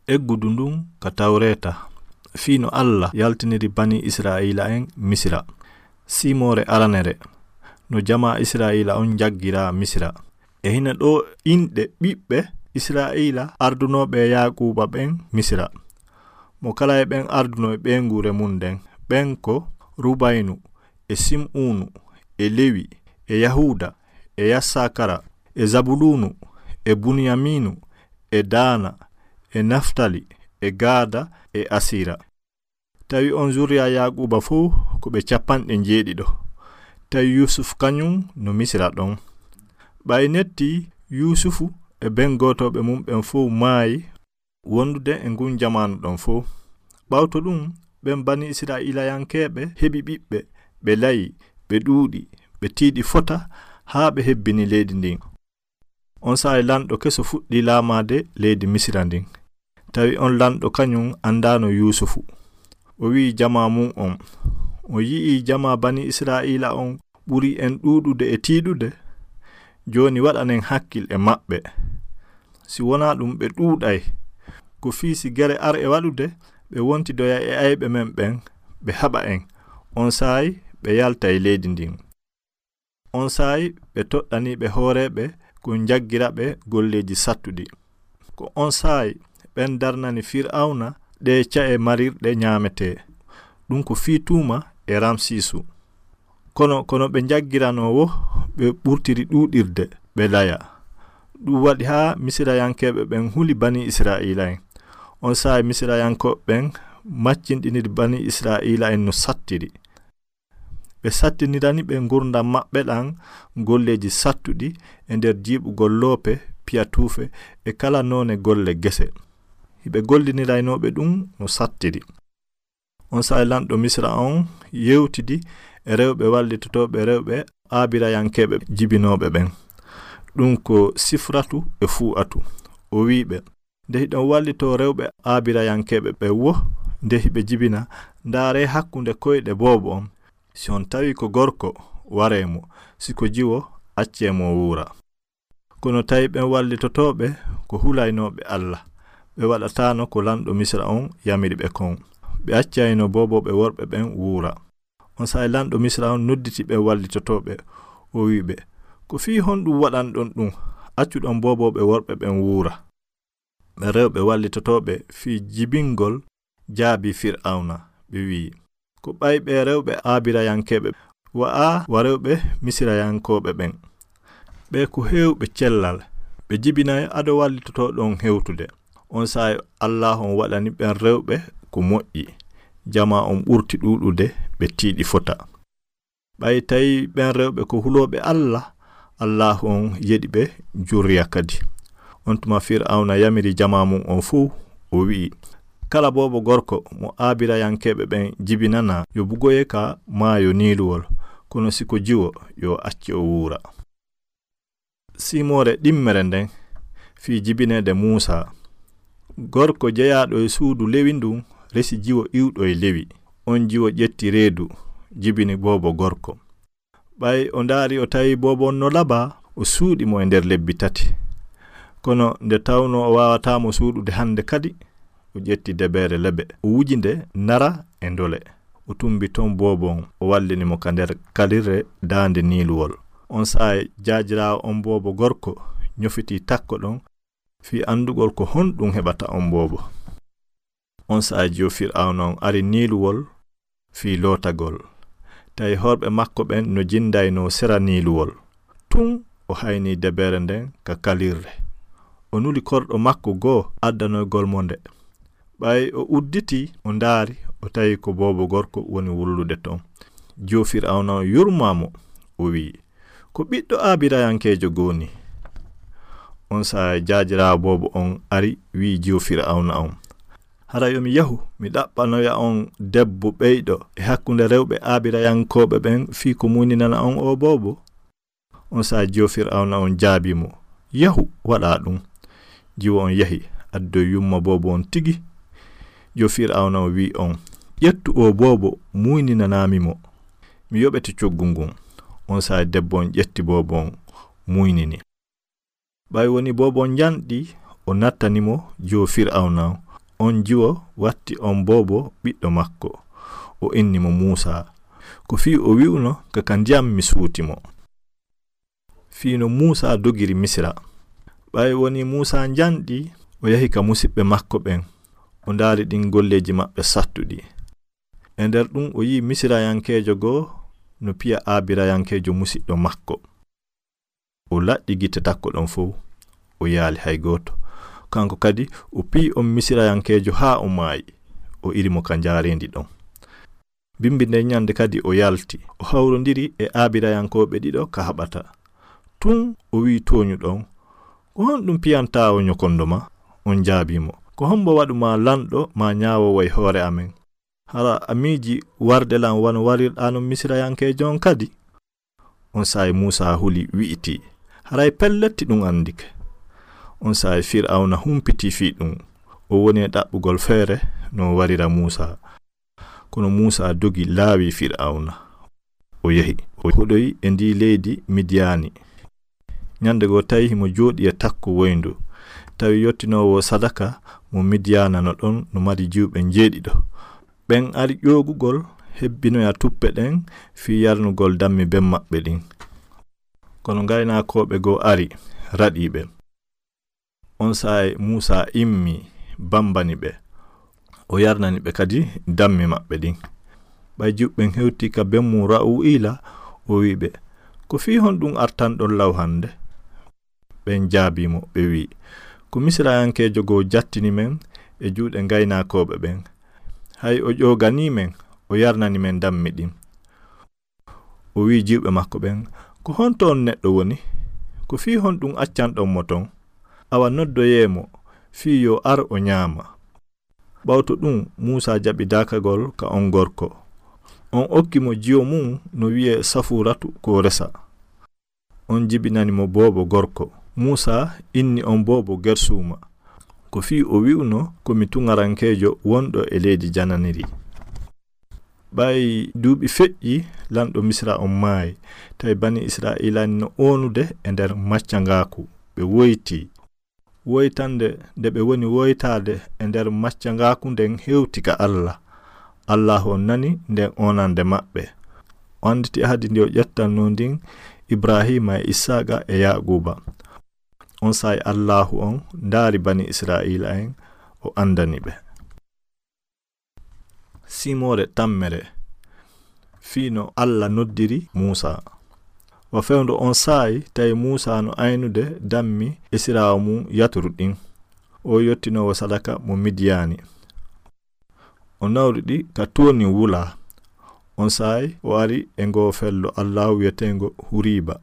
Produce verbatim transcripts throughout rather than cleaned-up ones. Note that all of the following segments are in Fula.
Eggudu ndun ka Tawreeta, fii no Alla yaltiniri banii Isra'iila'en Misira. Siimoore aranere, no jamaa Isra'iila on njaggiraa Misira. E hino ɗoo inɗe ɓiɓɓe Isra'iila ardunooɓe Yaaquuba ɓen Misira. Mo kala e ɓen ardunoo e ɓeynguure mun nden, ɓen ko Rubaynu, e Sim'uunu, e Lewi, e Yahuuda, e Yassakara, e Zabuluunu, e Buniyamiinu, e Daana, e Naftali, e Gaada, e Asiira. Tawi on zurriya Yaaquuba fow ko ɓe capanɗe njeeɗiɗo. Tawi Yuusuf kañun no Misira ɗon. Ɓay netti Yuusufu e ɓen gootooɓe mun ɓen fow maayi wondude e ngun jamaanu ɗon fow. Ɓawto ɗun, ɓen banii Isra'iilayankeeɓe heɓi ɓiɓɓe, ɓe layi, ɓe ɗuuɗi, ɓe tiiɗi fota haa ɓe hebbini leydi ndin. On saa'i lanɗo keso fuɗɗi laamaade leydi Misira ndin. Tawi on lanɗo kañun andaano Yuusufu. O wi'i jamaa mun on, "On yi'ii jamaa banii Isra'iila on ɓuri en ɗuuɗude e tiiɗude? Jooni waɗanen hakkil e maɓɓe. Si wonaa ɗun, ɓe ɗuuɗay. Ko fii si gere ar e waɗude, ɓe wontidoya e ayɓe men ɓen, ɓe haɓa en. On saa'i ɓe yaltay leydi ndin." On saa'i ɓe toɗɗanii ɓe hooreeɓe ko njaggira ɓe golleeji sattuɗi. Ko on saa'i ɓen darnani Fir'awna ɗee ca'e marirɗe ñaametee. Ɗun ko fii tuuma e Ramsiisu. Kono, kono ɓe njaggiranoo woo, ɓe ɓurtiri ɗuuɗirde, ɓe laya. Ɗun waɗi haa Misirayankeeɓe ɓen huli banii Isra'iila'en. On saa'i Misirayankooɓe ɓen maccinɗiniri banii Isra'iila'en no sattiri. Ɓe sattinirani ɓe ngurndan maɓɓe ɗan golleeji sattuɗi e nder jiiɓugol loope, piyatuufe e kala noone golle gese. Hiɓe golliniraynoo ɓe ɗun no sattiri. On saa'i lanɗo Misira on yewtidi e rewɓe wallitotooɓe rewɓe Aabirayankeeɓe jibinooɓe ɓen. Ɗun ko Sifratu e Fuu'atu. O wi'i ɓe, "Nde hiɗon wallitoo rewɓe Aabirayankeeɓe ɓen woo, nde hiɓe jibina, ndaaree hakkunde koyɗe boobo on. Si on tawii ko gorko, waree mo. Si ko jiwo, accee mo o wuura." Kono tawi ɓen wallitotooɓe ko hulaynooɓe Alla, ɓe waɗataano ko lanɗo Misira on yamiri ɓe kon. Ɓe accayno boobooɓe worɓe ɓen wuura. On saa'i lanɗo Misira on nodditi ɓen wallitotooɓe, o wi'i ɓe, "Ko fii honɗun waɗanɗon ɗun, accuɗon boobooɓe worɓe ɓen wuura?" Ɓen rewɓe wallitotooɓe fii jibingol jaabii Fir'awna, ɓe wi'i, "Ko ɓay ɓee rewɓe Aabirayankeeɓe wa'aa wa rewɓe Misirayankooɓe ɓen. Ɓee ko heewɓe cellal, ɓe jibinay ado wallitotooɗon hewtude." On saa'i Allaahu on waɗani ɓen rewɓe ko moƴƴi. Jamaa on ɓurti ɗuuɗude, ɓe tiiɗi fota. Ɓay tawi ɓen rewɓe ko hulooɓe Alla, Allaahu on yeɗi ɓe jurriya kadi. On tuma Fir'awna yamiri jamaa mun on fow, o wi'i, "Kala boobo gorko mo Aabirayankeeɓe ɓen jibinanaa, yo bugoye ka maayo Niiluwol, kono si ko jiwo, yo acce o wuura." Siimoore ɗimmere nden fii jibineede Muusaa. Gorko jeyaaɗo e suudu Lewi ndun resi jiwo iwɗo e Lewi. On jiwo ƴetti reedu, jibini boobo gorko. Ɓay o ndaari, o tawi boobo on no labaa, o suuɗi mo e nder lebbi tati. Kono nde tawnoo o waawataa mo suuɗude hande kadi, o ƴetti debeere lebe, o wuji nde nara e ndole. O tumbi ton boobo on, o wallini mo ka nder kalirre daande Niiluwol. On saa'i jaajiraawo on boobo gorko ɲofitii takko ɗon fii andugol ko honɗun heɓata on boobo. On saa'i jiwo Fir'awna on ari Niiluwol fii lootagol. Tawi horɓe makko ɓen no jindaynoo sera Niiluwol. Tun o haynii debeere nden ka kalirre. O nuli korɗo makko goo addanoygol mo nde. Ɓay o udditii, o ndaari, o tawi ko boobo gorko woni wullude ton. Jiwo Fir'awna on yurmaa mo, o wi'i, "Ko ɓiɗɗo Aabirayankeejo goo nii." On saa'i jaajiraawo boobo on ari, wi'i jiwo Fir'awna on, "Hara yo mi yahu, mi ɗaɓɓanoya on debbo ɓeyɗo e hakkunde rewɓe Aabirayankooɓe ɓen fii ko muuyninana on oo boobo?" On saa'i jiwo Fir'awna on jaabii mo, "Yahu, waɗaa ɗun." Jiwo on yahi, addoyi yumma boobo on tigi. Jiwo Fir'awna on wi'i on, "Ƴettu oo boobo, muuyninanaa mi mo. Mi yoɓete coggu ngun." On saa'i debbo on ƴetti boobo on, muuynini. Ɓay woni boobo on njanɗi, O nattani mo jiwo Fir'awna on. On jiwo watti on boobo ɓiɗɗo makko. O inni mo Muusaa. Ko fii o wi'uno ka ka ndiyam mi suuti mo. Fii no Muusaa dogiri Misira. Ɓay woni Muusaa njanɗi, o yahi ka musiɓɓe makko ɓen. O ndaari ɗin golleeji maɓɓe sattuɗi. E nder ɗum o yi'i Misirayankeejo goo no piya Aabirayankeejo musiɗɗo makko. O laɗɗi gite takko ɗon fow. O yaali hay gooto. Kanko kadi o piyi on Misirayankeejo haa o maayi. O iri mo ka njaareendi ɗon. Bimbi nden ɲande kadi o yalti. O hawrondiri e Aabirayankooɓe ɗiɗo ka haɓata. Tun o wi'i tooɲuɗo on, "Ko honɗum piyantaa o ɲokondo ma?" On jaabii mo, "Ko hombo waɗu ma lanɗo maa ɲaawoowo e hoore amen? Hara a miiji warde lan wano warirɗaa non Misirayankeejo on kadi?" On saa'i Muusaa huli wi'itii, "Haray pelletti ɗum andike." On saa'i Fir'awna humpitii fii ɗum. O woni e ɗaɓɓugol feere no o warira Muusaa. Kono Muusaa dogi laawi Fir'awna. O yehi, o hoɗoyi e ndii leydi Midiyaani. Ɲande goo tawi himo jooɗii e takko woyndu. Tawi yottinoowo sadaka mo Midiyaana no ɗon no mari jiwɓe njeeɗiɗo. Ɓen ari ƴoogugol hebbinoya tuppe ɗen fii yarnugol dammi ben maɓɓe ɗin. Kono ngaynaakooɓe goo ari, raɗii ɓe. On saa'i Muusaa immii, bambani ɓe. O yarnani ɓe kadi dammi maɓɓe ɗin. Ɓay jiwɓe ɓen hewtii ka ben mum Ra'u'iila, o wi'i ɓe, "Ko fii honɗum artanɗon law hande?" Ɓen jaabii mo, ɓe wi'i, "Ko Misirayankeejo goo jattini men e juuɗe ngaynaakooɓe ɓen. Hay o ƴooganii men, o yarnani men dammi ɗin." O wi'i jiwɓe makko ɓen, "Ko honto on neɗɗo woni? Ko fii honɗum accanɗon mo ton? Awa noddoyee mo, fii yo ar o ɲaama." Ɓawto ɗum, Muusaa jaɓi daakagol ka on gorko. On okki mo jiwo mum no wi'ee Safuuratu ko resa. On jibinani mo boobo gorko. Muusaa inni on boobo Gersuuma. Ko fii o wi'uno, "Ko mi tuŋarankeejo wonɗo e leydi jananiri." Ɓay duuɓi feƴƴi, lanɗo Misira on maayi. Tawi bani Isra'iila no oonude e nder maccangaaku. Ɓe woyti. Woytande nde ɓe woni woytaade e nder maccangaaku nden hewti ka Alla. Allaahu on nani nden oonande maɓɓe. O annditi ahadi ndi o ƴettannoo ndin Ibraahiima e Isaaqa e Yaaquuba. On saa'i Allaahu on ndaari bani Isra'iila'en, o anndani ɓe. Simoore tammere, fii no Alla noddiri Muusaa. Wa fewndo on saa'i, tawi Muusaa no aynude dammi esiraawo mum Yaturu ɗin, o yottinoowo sadaka mo Midiyaani. O nawri ɗi ka toonin wulaa. On saa'i o ari e ngoo fello Allaahu wi'eteengo Huriiba.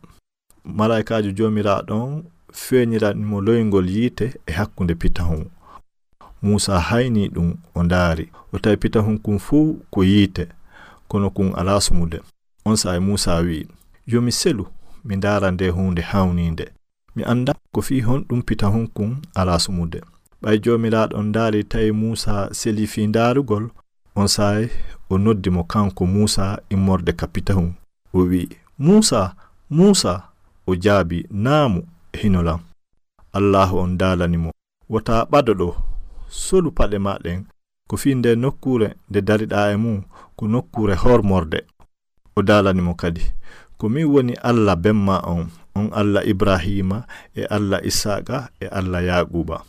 Malaa'ikaajo Joomiraaɗo on feeñirani mo loyngol yiite e hakkunde pitahun. Muusaa haynii ɗum, o ndaari, o tawi pitahun kun fow ko yiite, kono kun alaa sumude. On saa'i Muusaa wi'i, "Yo mi selu, mi ndaara ndee huunde hawniinde. Mi anndaa ko fii honɗum pitahun kun alaa sumude." Ɓay Joomiraaɗo on ndaari tawi Muusaa selii fii ndaarugol, on saa'i o noddi mo kanko Muusaa immorde ka pitahun. O wi'i, "Muusaa, Muusaa!" O jaabii, "Naamu, hino lan." Allaahu on daalani mo, "Wota ɓado ɗoo, solu paɗe maa ɗen, ko fii ndee nokkuure nde dariɗaa e mum, ko nokkuure hormorde." O daalani mo kadi, "Ko min woni Alla ben maa on, on Alla Ibraahiima e Alla Isaaqa e Alla Yaaquuba."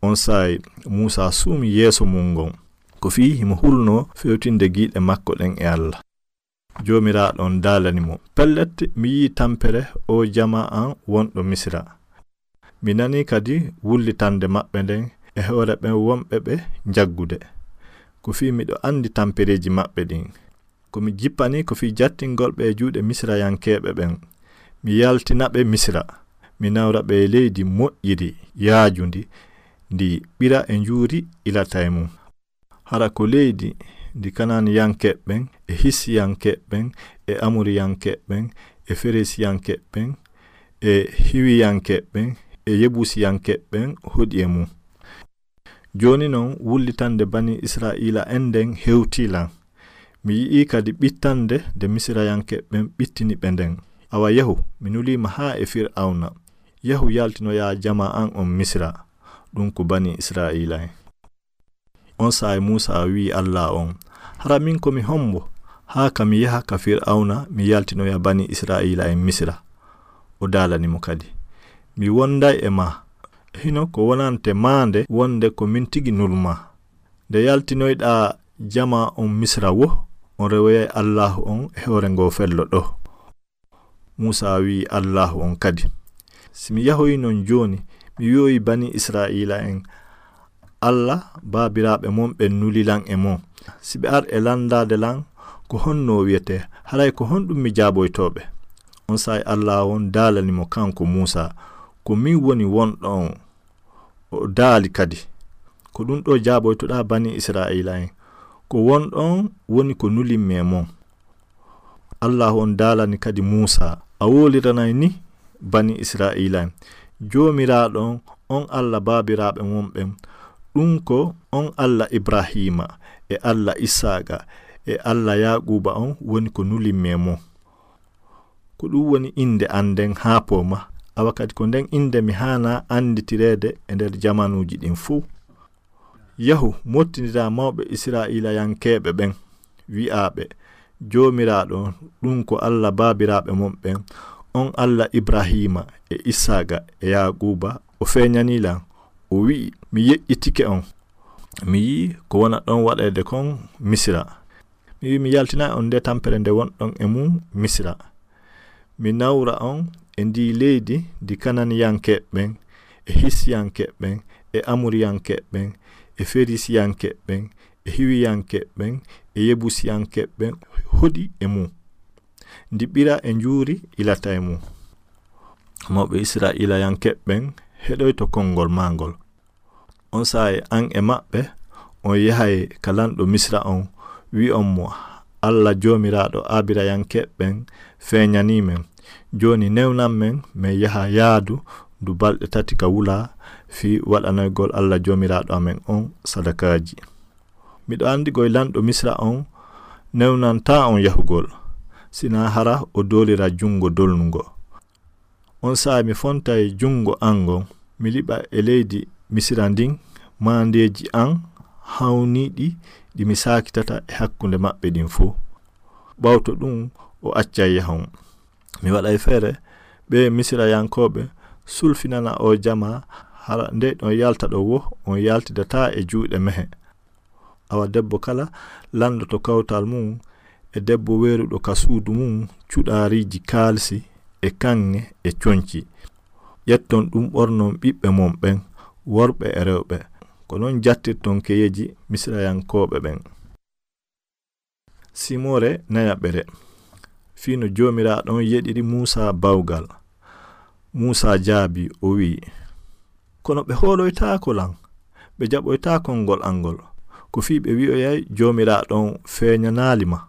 On saa'i Muusaa suumi yeeso mum ngon, ko fii himo hulnoo fewtinde giiɗe makko ɗen e Alla. Joomiraaɗo on daalani mo, "Pellet, mi yi'ii tampere oo jamaa an wonɗo Misira. Mi nanii kadi wullitande maɓɓe nden e hoore ɓen wonɓe ɓe njaggude. Ko fii miɗo andi tampereeji maɓɓe ɗin. Ko mi jippanii ko fii jattingol ɓe e juuɗe Misirayankeeɓe ɓen. Mi yaltina ɓe Misira. Mi nawra ɓe e leydi moƴƴiri, yaajundi, ndi ɓira e njuuri ilata e mum. Hara ko leydi ndi Kanaaniyankeeɓe ɓen, e Hisiyankeeɓe ɓen, e Amoriyankeeɓe ɓen, e Feresiyankeeɓe ɓen, e Hiwiyankeeɓe ɓen, e Yebusiyankeeɓe ɓen hoɗi e mum." Jooni non, wullitande banii Isra'iila'en nden hewtii lan. Mi yi'ii kadi ɓittande nde Misirayankeeɓe ɓen ɓittini ɓe nden. Awa yahu, mi nulii ma haa e Fir'awna. Yahu yaltinoyaa jamaa an on Misira. ɗum ko bani Israa'iila'en. On saa'i Muusa wi'i Allah on, "Hara min ko mi hombo, haa ka mi yaha ka Fir'awna, mi yaltinoya bani Israa'iila'en Misira?" O daalani mo kadi, "Mi wonday e ma. Hino ko wonante maande wonde ko min tigi nulma. Nde yaltinoyɗaa jama on Misira wo, on rewoyay Allaahu on e hoore ngo fello ɗo." Muusa wi'i Allaahu on kadi, "Si mi yahoyi non jooni, mi wi'oyi bani Israa'iila'en, 'Allah baabiraaɓe mon ɓen nuli lan e mon.' Si ɓe ar e landaade lan, ko honno o wi'etee? Haray ko honɗum mi jaaboytoo ɓe?" On saa'i Allaahu on daalani mo kanko Muusa, "Ko min woni wonɗo on." O daali kadi, "Ko ɗum ɗo jaaboytoɗaa bani Israa'iila'en, 'Ko wonɗo on woni ko nulimmi e mon.'" Allaahu on daalani kadi Muusa, "A woliranay ni bani Israa'iila'en, 'Joomiraaɗo on, on Allah baabiraaɓe mon ɓen, ɗum ko on Allah Ibraahiima e Allah Isaaqa e Allah Yaaquuba on woni ko nulimmi e mon.'" Ko ɗum woni innde an nden haa pooma, awa kadi ko nden innde mi haanaa annditireede e nder jamanuuji ɗin fuu. Yahu, mottindiraa mawɓe Israa'iilayankeeɓe ɓen, wi'aa ɓe, "Joomiraaɗo on, ɗum ko Allah baabiraaɓe mon ɓen, on Allah Ibraahiima e Isaaqa e Yaaquuba, o feeñanii lan, o wi'i, 'Mi yeƴƴitike on. Mi yi'i ko wonɗon waɗeede kon Misira. Mi wi'i mi yaltinay on nde tampere nde wonɗon e mum Misira. Mi nawra on e ndii leydi ndi Kananiyankeeɓe ɓen, e Hisiyankeeɓe ɓen, e Amoriyankeeɓe ɓen, e Ferisiyankeeɓe ɓen, e Hiwiyankeeɓe ɓen, e Yebusiyankeeɓe ɓen hoɗi e mum. Ndi ɓira e njuuri ilata e mum.'" Mawɓe Israa'iilayankeeɓe ɓen heɗoyto konngol maa ngol. On saa'i an e maɓɓe, on yahay ka lanɗo Misira on, wi'on mo, "Allah Joomiraaɗo Aabirayankeeɓe ɓen feeñanii men. Jooni newnan men, men yaha yaadu ndu balɗe tati ka wula fii waɗanoygol Allah Joomiraaɗo amen on sadakaaji. Miɗo anndi goy lanɗo Misira on newnantaa on yahugol, sinaa hara o doolira junngo dolnungo. On saa'i mi fontay junngo an ngon, mi liɓa e leydi Misira ndin maandeeji an hawniiɗi ɗi mi saakitata e hakkunde maɓɓe ɗin fow. Ɓawto ɗum o accay yahon. Mi waɗay feere ɓee Misirayankooɓe sulfinana oo jamaa, hara nde on yalta ɗoo wo, on yaltidataa e juuɗe mehe." Awa debbo kala landoto kawtal mum, e debbo weeruɗo ka suudu mum cuɗaariiji kaalisi e kaŋŋe e conci. Ƴetton ɗum ɓornon ɓiɓɓe mon ɓen, worɓe e rewɓe. Ko non jattirton keyeeji Misirayankooɓe ɓen. Simore nayaɓere. Fii no Joomiraaɗo on yeɗiri Muusaa bawgal. Muusaa jaabii, o wi'i, "Kono ɓe hooloytaako lan, ɓe jaɓoytaa konngol an ngol. Ko fii ɓe wi'oyay Joomiraaɗo on feeñanaali ma."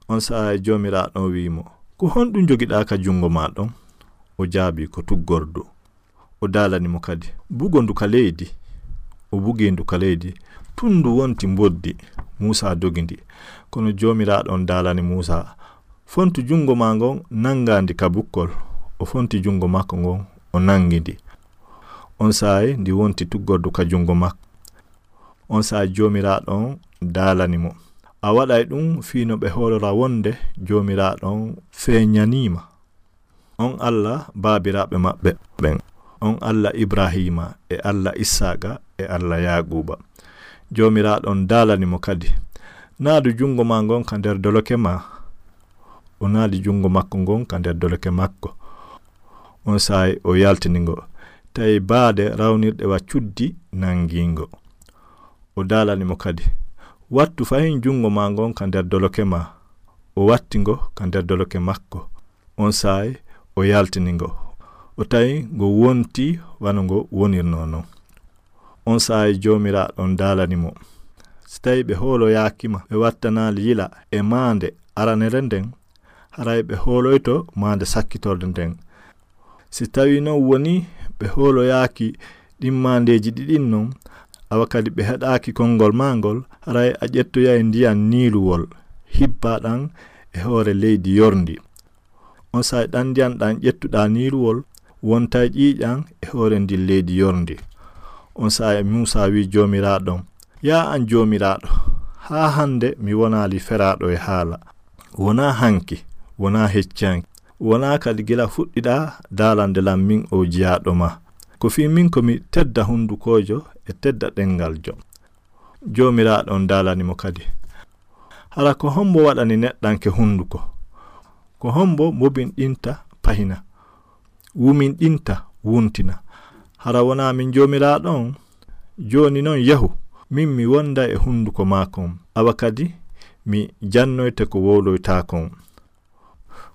On saa'i Joomiraaɗo on wi'i mo, "Ko honɗum jogiɗaa ka junngo maa ɗon?" O jaabii, "Ko tuggordu." O daalani mo kadi, "Bugo ndu ka leydi." O bugi ndu ka leydi, tun ndu wonti mboddi. Muusaa dogi ndi. Kono Joomiraaɗo on daalani Muusaa, "Fontu junngo maa ngon, nanngaa ndi ka bukkol." O fonti junngo makko ngon, o nanngi ndi. On saa'i ndi wonti tuggordu ka junngo makko. On saa'i Joomiraaɗo on daalani mo, "A waɗay ɗum fii no ɓe hoolora wonde Joomiraaɗo on feeñanii ma, on Allah baabiraaɓe maɓɓe ɓen, on Allah Ibraahiima e Allah Isaaqa e Allah Yaaquuba." Joomiraaɗo on daalani mo kadi, "Naadu junngo maa ngon ka nder doloke maa." O naadi junngo makko ngon ka nder doloke makko. On saa'i o yaltini ngo, tawi baade rawnirɗe wa cuddi nanngi ngo. O daalani mo kadi, "Wattu fahin junngo maa ngon ka nder doloke maa." O watti ngo ka nder doloke makko. On saa'i o yaltini ngo. O tawi ngo wonti wano ngo wonirnoo non. On saa'i Joomiraaɗo on daalani mo, "Si tawi ɓe hooloyaaki ma, ɓe wattanaali yila e maande aranere nden, haray ɓe hooloyto maande sakkitorde nden. Si tawi non woni ɓe hooloyaaki ɗin maandeeji ɗiɗin non, awa kadi ɓe heɗaaki konngol maa ngol, haray a ƴettoyay ndiyan niiluwol, hibbaa ɗan e hoore leydi yorndi. On saa'i ɗan ndiyan ɗan ƴettuɗaa niiluwol, wontay ƴiiƴan e hoore ndin leydi yorndi." On saa'i Muusa wi'i Joomiraaɗo on, "Yaa an Joomiraaɗo, haa hande mi wonaali feraaɗo e haala. Wonaa hanki, wonaa hecci hanki, wonaa kadi gila fuɗɗiɗaa daalande lan min oo jiyaaɗo maa. Ko fii min ko mi tedda hundukoojo e tedda ɗemngaljo." Joomiraaɗo on daalani mo kadi, "Hara ko hombo waɗani neɗɗanke hunduko? Ko hombo mbobinɗinta pahina, wuminɗinta wuntina? Hara wonaa min Joomiraaɗo on? Jooni non yahu, min mi wonda e hunduko maa kon, awa kadi mi jannoyte ko wowloytaa kon."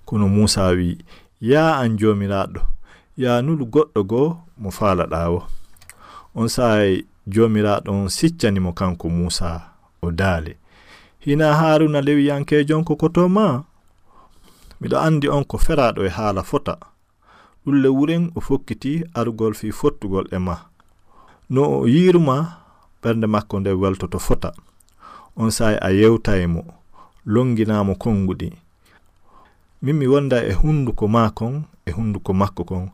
Kono Muusa wi'i, "Yaa an Joomiraaɗo, yaa nulu goɗɗo goo mo faalaɗaa woo." On saa'i Joomiraaɗo on siccani mo kanko Muusa, o daali, "Hinaa Haaruuna Lewiyankeejo on ko kotoo maa? Miɗo andi on ko feraaɗo e haala fota." Ɗun le wuren o fokkiti arugol fii fottugol e maa. No o yiiru maa, ɓernde makko nden weltoto fota. On saa'i a yewtay mo, longinaa mo konguɗi. Min mi wonda e hunduko maa kon, e hunduko makko kon.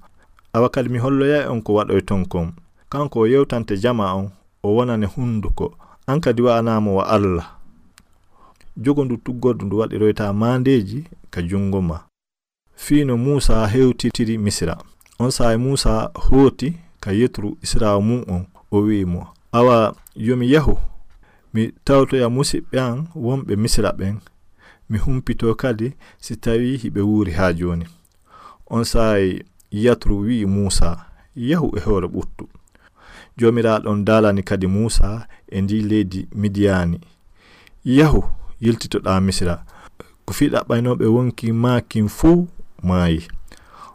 Awa kadi mi holloyay on ko waɗoyton kon. Kanko o yewtante jamaa on, o wonane hunduko. An kadi wa'anaa mo wa Alla. Jogondu tuggordu ndu waɗiroytaa maandeeji ka jungo maa. Fii no Muusa hewtitiri Misira. On saa'i Muusa hooti ka Yetru, isiraawo mun on, o wi'i mo, "Awa, yo mi yahu, mi tawtoya musiɓɓe an wonɓe Misira ɓen, mi humpitoo kadi si tawii hiɓe wuuri haa jooni." On saa'i Yetru wi'i Muusa, "Yahu e hoore ɓuttu." Joomiraaɗo on daalani kadi Muusa e ndii leydi Midiyaani, "Yahu, yiltitoɗaa Misira. Ko fii ɗaɓɓaynooɓe wonki maa kin fuu maayi."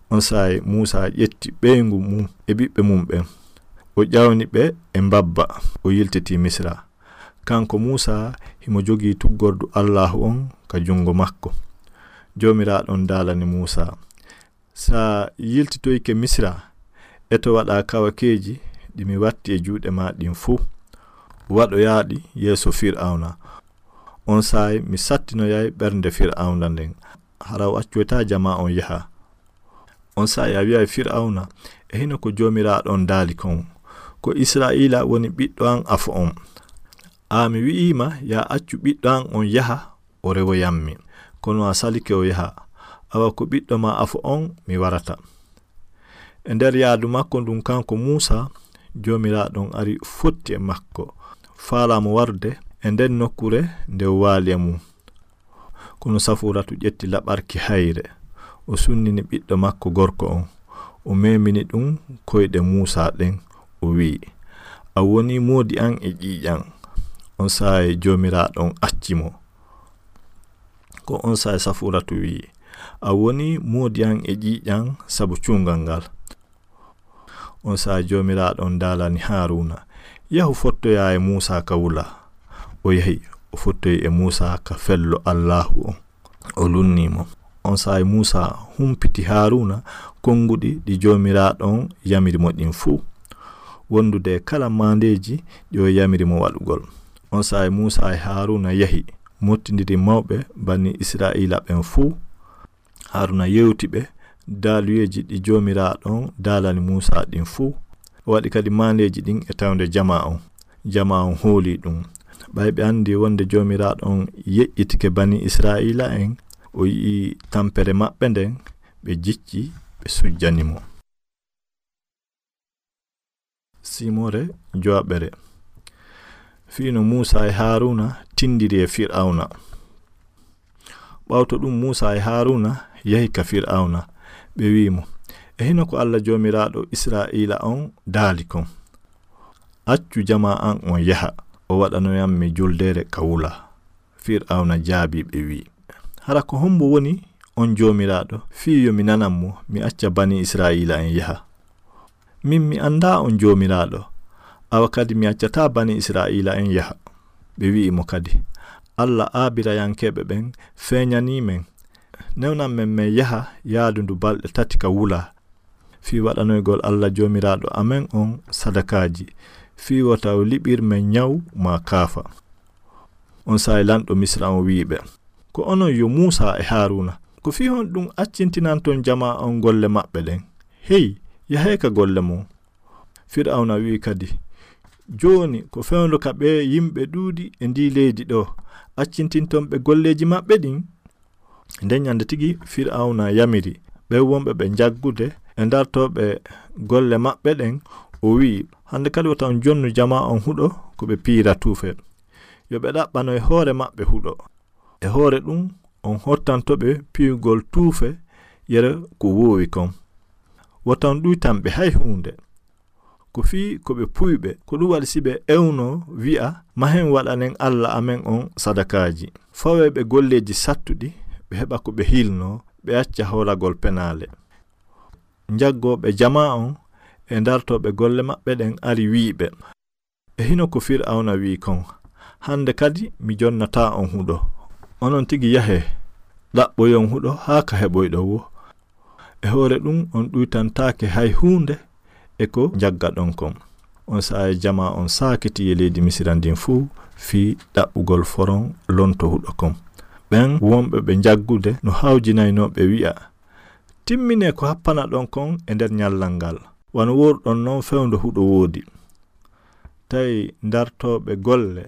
On saa'i Muusa ƴetti ɓeyngu mun e ɓiɓɓe mun ɓen. O ƴawni ɓe e mbabba, o yiltiti Misira. Kanko Muusa himo jogii tuggordu Allaahu on ka jungo makko. Joomiraaɗo on daalani Muusa, "Sa yiltitoyke Misira, eto waɗaa kawakeeji ɗi mi watti e juuɗe maa ɗin fuu. Waɗoyaaɗi yeeso Fir'awna. On saa'i mi sattinoyay ɓernde Fir'awna nden. Hara o accoytaa jamaa on yaha." On saa'i a wi'ay Fir'awna, "E hino ko Joomiraaɗo on daali kon, ko Isra'iila woni ɓiɗɗo an afo on. Aa mi wi'ii ma, yaa accu ɓiɗɗo an on yaha, o rewoyammi. Kono a salike o yaha. Awa ko ɓiɗɗo maa afo on mi warata." E nder yaadu makko ndun kanko Muusa, Joomiraaɗo on ari fotti e makko, faalaa mo warude e nden nokkuure nde o waali e mun. Kono Safuuratu ƴetti laɓarki hayre, o sunnini ɓiɗɗo makko gorko on, o memini ɗun koyɗe Muusa ɗen, o wi'i, "A woni moodi an e ƴiiƴan." On saa'i Joomiraaɗo on acci mo. Ko on saa'i Safuuratu wi'i, "A woni moodi an e ƴiiƴan sabu cuungal ngal." On saa'i Joomiraaɗo on daalani Haaruuna, "Yahu fottoyaa e Muusa ka wula." O yahi, o fottoyi e Muusa ka fello Allaahu on. O lunnii mo. On saa'i Muusa humpiti Haaruuna konguɗi ɗi Joomiraaɗo on yamiri mo ɗin fuu, wondude e kala maandeeji ɗi o yamiri mo waɗugol. On saa'i Muusa e Haaruuna yahi, mottindiri mawɓe banii Isra'iila ɓen fuu. Haaruuna yewti ɓe daaluyeeji ɗi Joomiraaɗo on daalani Muusa ɗin fuu. O waɗi kadi maandeeji ɗin e tawnde jamaa on. Jamaa on hoolii ɗun. Ɓay ɓe andi wonde Joomiraaɗo on yeƴƴitike banii Isra'iila'en, o yi'i tampere maɓɓe nden, ɓe jicci, ɓe sujjani mo. Siimore jowaɓere. Fii no Muusa e Haaruuna tindiri e Fir'awna. Ɓawto ɗun, Muusa e Haaruuna yahi ka Fir'awna. Ɓe wi'i mo, "E hino ko Alla Joomiraaɗo Isra'iila on daali kon, 'Accu jamaa an on yaha, o waɗanoyammi juldeere ka wula.'" Fir'awna jaabii ɓe, wi'i, "Hara ko hombo woni on Joomiraaɗo, fii yo mi nanan mo, mi acca banii Isra'iila'en yaha? Min mi andaa on Joomiraaɗo, awa kadi mi accataa banii Isra'iila'en yaha." Ɓe wi'i mo kadi, "Alla Aabirayankeeɓe ɓen feeñanii men, newnan men men yaha yaadu ndu balɗe tati ka wula, fii waɗanoygol Alla Joomiraaɗo amen on sadakaaji, fii wota o liɓir men nyaw maa kaafa." On saa'i lanɗo Misira on wi'i ɓe, "Ko onon yo Muusa e Haaruuna, ko fii honɗun accintinanton jamaa on golle maɓɓe ɗen? Hey, yahee ka golle mon." Fir'awna wi'i kadi, Jooni, ko fewndo ka ɓee yimɓe ɗuuɗi e ndii leydi ɗoo, accintinton ɓe golleeji maɓɓe ɗin?" Nden ñande tigi Fir'awna yamiri ɓen wonɓe ɓe njaggude e dartooɓe golle maɓɓe ɗen, o wi'i, "Hande kadi wota on jonnu jamaa on huɗo ko ɓe piyira tuufe. Yo ɓe ɗaɓɓano e hoore maɓɓe huɗo. E hoore ɗum, on hottanto ɓe piyugol tuufe yere ko woowi kon. Wota on ɗuytan ɓe hay huunde. Ko fii ko ɓe puyɓe, ko ɗum waɗi si ɓe ewnoo, wi'a, 'Mahen waɗanen Alla amen on sadakaaji.' Fawee ɓe golleeji sattuɗi, ɓe heɓa ko ɓe hilnoo, ɓe acca hoolagol penaale." Njaggooɓe jamaa on e dartooɓe golle maɓɓe ɗen ari wi'i ɓe, "E hino ko Fir'awna wi'i kon, hande kadi mi jonnataa on huɗo. Onon tigi yahee, ɗaɓɓoyon huɗo haa ka heɓoyɗon woo. E hoore ɗum on ɗuytantaake hay huunde e ko njaggaɗon kon." On saa'i jamaa on saakiti e leydi Misira ndin fuu fii ɗaɓɓugol foron lonto huɗo kon. Ɓen wonɓe ɓe njaggude no hawjinaynoo ɓe wi'a, "Timminee ko happanaɗon kon e nder ñallal ngal, wano wooruɗon non fewndo huɗo woodi." Tawi dartooɓe golle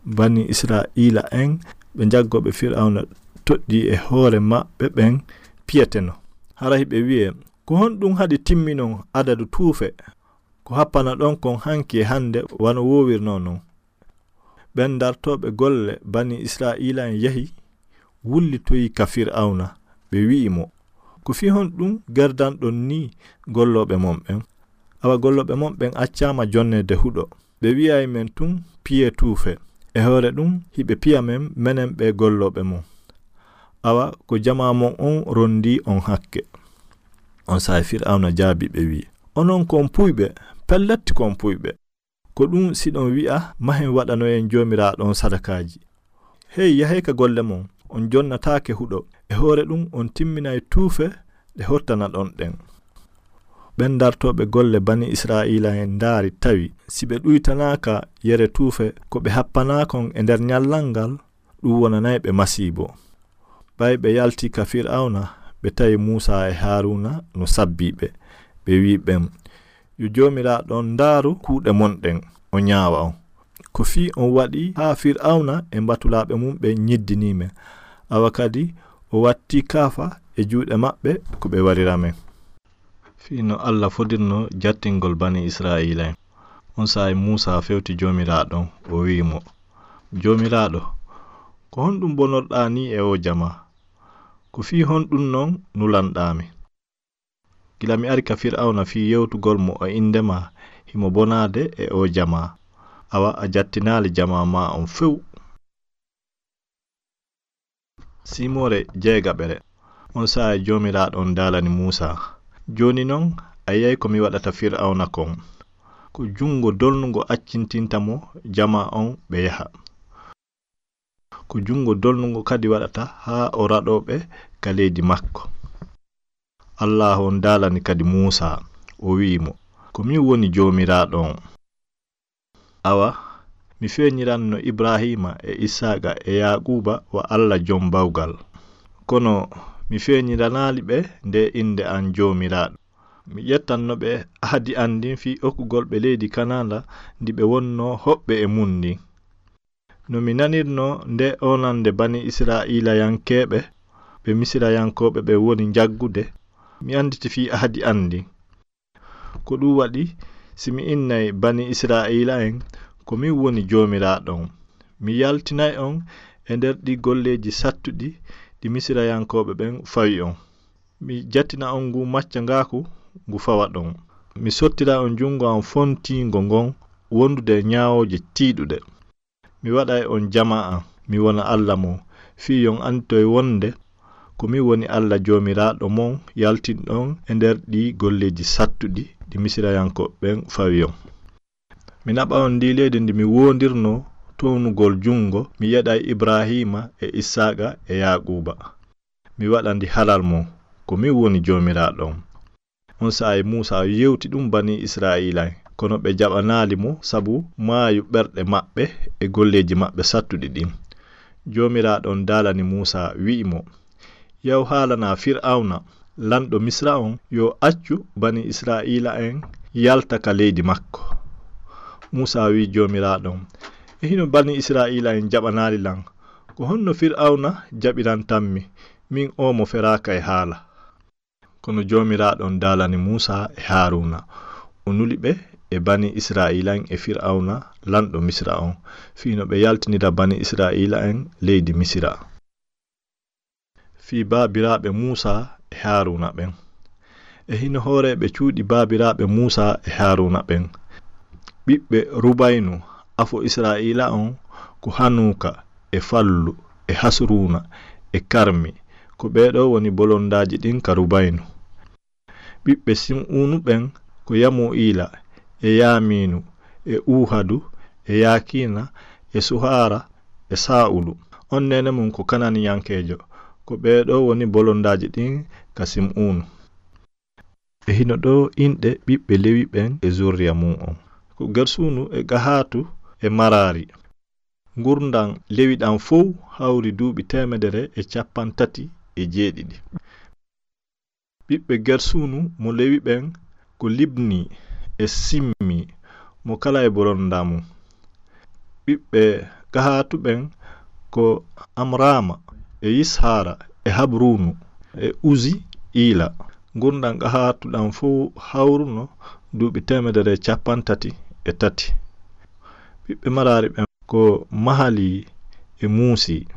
Bani Isra'iila en ɓe njaggooɓe Fir'awna toɗɗii e hoore maɓɓe ɓen piyeteno. Hara hiɓe wi'e, "Ko honɗum haɗi timminon adadu tuufe ko happanaɗon kon hanki e hande wano woowirnoo non?" Ɓen dartooɓe golle Bani Isra'iila en yahi, wullitoyi ka Fir'awna, ɓe wi'i mo, "Ko fii honɗum gerdanɗon nii gollooɓe mon ɓen? Awa gollooɓe mon ɓen accaama jonneede huɗo. Ɓe wi'ay men tun, 'Piyee tuufe.' E hoore ɗum, hiɓe piya men, menen ɓee gollooɓe mon. Awa ko jamaa mon on rondii on hakke." On saa'i Fir'awna jaabii ɓe wi'i, "Onon ko on puyɓe, pellet ko on puyɓe. Ko ɗum siɗon wi'a, 'Mahen waɗanoyen Joomiraaɗo on sadakaaji.' Hey, yahee ka golle mon, on jonnataake huɗo. E hoore ɗum, on timminay tuufe ɗe hottanaɗon ɗen." Ɓen dartooɓe golle Bani Isra'iila en ndaari, tawi si ɓe ɗuytanaaka yere tuufe ko ɓe happanaa kon e nder ñallal ngal, ɗum wonanay ɓe masiibo. Ɓay ɓe yalti ka Fir'awna, ɓe tawi Muusaa e Haaruuna no sabbii ɓe. Ɓe wi'i ɓen, "Yo Joomiraaɗo on ndaaru kuuɗe mon ɗen, o ñaawa on. Ko fii on waɗi haa Fir'awna e mbatulaaɓe mum ɓen ñiddinii men. Awa kadi o wattii kaafa e juuɗe maɓɓe ko ɓe warira men." Fii no Alla fodirno jattingol Bani Isra'iila en. On saa'i Muusaa fewti Joomiraaɗo on, o wi'i mo, "Joomiraaɗo, ko honɗum bonorɗaa nii e oo jamaa? Ko fii honɗum non nulanɗaa mi? Gila mi ari ka Fir'awna fii yewtugol mo e innde maa, himo bonaade e oo jamaa. Awa a jattinaali jamaa maa on few." Siimoore jeegaɓere. On saa'i Joomiraaɗo on daalani Muusaa, "Jooni non a yi'ay ko mi waɗata Fir'awna kon. Ko junngo dolnungo accintinta mo jamaa on ɓe yaha. Ko junngo dolnungo kadi waɗata haa o raɗoo ɓe ka leydi makko." Allaahu on daalani kadi Muusaa, o wi'i mo, "Ko min woni Joomiraaɗo on. Awa, mi feeñiranno Ibraahiima e Isaaqa e Yaaquuba wa Alla Jom Bawgal. Kono mi feeñiranaali ɓe nde innde an Joomiraaɗo. Mi ƴettanno ɓe ahadi an ndin fii okkugol ɓe leydi Kanaana ndi ɓe wonnoo hoɓɓe e mun ndin. No mi nanirnoo nde onannde Bani Israa'iilayankeeɓe, ɓe Misirayankooɓe ɓen woni njaggude, mi annditi fii ahadi an ndin. Ko ɗum waɗi, si mi innay Bani Israa'iila en, ko min woni Joomiraaɗo on. Mi yaltinay on e nder ɗii golleeji sattuɗi ɗi Misirayankooɓe ɓen fawi on. Mi jattina on ngu maccangaaku ngu fawaɗon. Mi sottira on junngo an fontiingo ngon wondude e ñaawooje tiiɗuɗe. Mi waɗay on jamaa an, mi wona Alla mon, fii yo on annditoy wonde ko min woni Alla Joomiraaɗo mon yaltinɗo on e nder ɗii golleeji sattuɗi ɗi Misirayankooɓe ɓen fawi on. Mi naɓa on ndii leydi ndi mi woondirnoo townugol junngo, mi yeɗay Ibraahiima e Isaaqa e Yaaquuba. Mi waɗa ndi halal mon, ko min woni Joomiraaɗo on." On saa'i Muusaa yewti ɗum Bani Israa'iila en, kono ɓe jaɓanaali mo sabu maayu ɓerɗe maɓɓe e golleeji maɓɓe sattuɗi ɗin. Joomiraaɗo on daalani Muusaa, wi'i mo, "Yahu haalanaa Fir'awna, lanɗo Misira on, yo accu Bani Israa'iila en yalta ka leydi makko." Muusa wi'i Joomiraaɗo on, "E hino banii Isra'iila'en jaɓanaali lan, ko honno Fir'awna jaɓirantammi, min oo mo feraaka e haala?" Kono Joomiraaɗo on daalani Muusa e Haaruuna. O nuli ɓe e banii Isra'iila'en e Fir'awna, lanɗo Misira on, fii no ɓe yaltinira banii Isra'iila'en leydi Misira. Fii baabiraaɓe Muusa e Haaruuna ɓen. E hino hooreeɓe cuuɗi baabiraaɓe Muusa e Haaruuna ɓen. Ɓiɓɓe Rubaynu, afo Isra'iila on, ko Hanuuka, e Fallu, e Hasruuna, e Karmi. Ko ɓee ɗoo woni bolondaaji ɗin ka Rubaynu. Ɓiɓɓe Sim'uunu ɓen ko Yamu'iila, e Yaamiinu, e Uuhadu, e Yaakiina, e Suhaara, e Saa'ulu. On neene mun ko Kananiyankeejo. Ko ɓee ɗoo woni bolondaaji ɗin ka Sim'uunu. E hino ɗoo inɗe ɓiɓɓe Lewi ɓen e zurriya mun on. Ko Gersuunu e Gahaatu e Maraari. Ngurndan Lewi ɗan fow hawri duuɓi teemedere e cappanɗe tati e jeeɗiɗi. Ɓiɓɓe Gersuunu mo Lewi ɓen ko Libni e Simmi, mo kala e bolondaa mun. Ɓiɓɓe Gahaatu ɓen ko Amraama e Yishaara e Habruunu e Uzi Iila. Ngurndan Gahaatu ɗan fow hawruno duuɓi teemedere e cappanɗe tati e tati. Ɓiɓɓe Maraari ɓen ko Mahali e Muusi.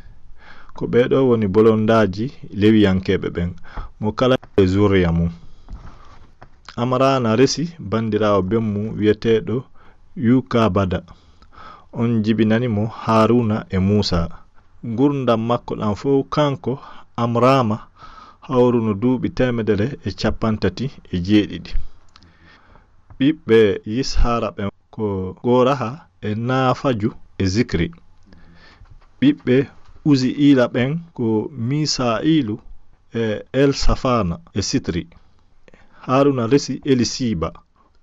Ko ɓee ɗoo woni bolondaaji Lewiyankeeɓe ɓen, mo kala e zurriya mun. Amraana resi bandiraawo ben mun wi'eteeɗo Yukabada. On jibinani mo Haaruuna e Muusa. Ngurndan makko ɗan fow kanko Amraama hawruno duuɓi teemedere e cappanɗe tati e jeeɗiɗi. Ɓiɓɓe Yishaara ɓen ko Gooraha e Naafaju e Zikri. Ɓiɓɓe Uzi'iila ɓen ko Misa'iilu e Elsafana e Sitri. Haaruuna resi Elisiiba.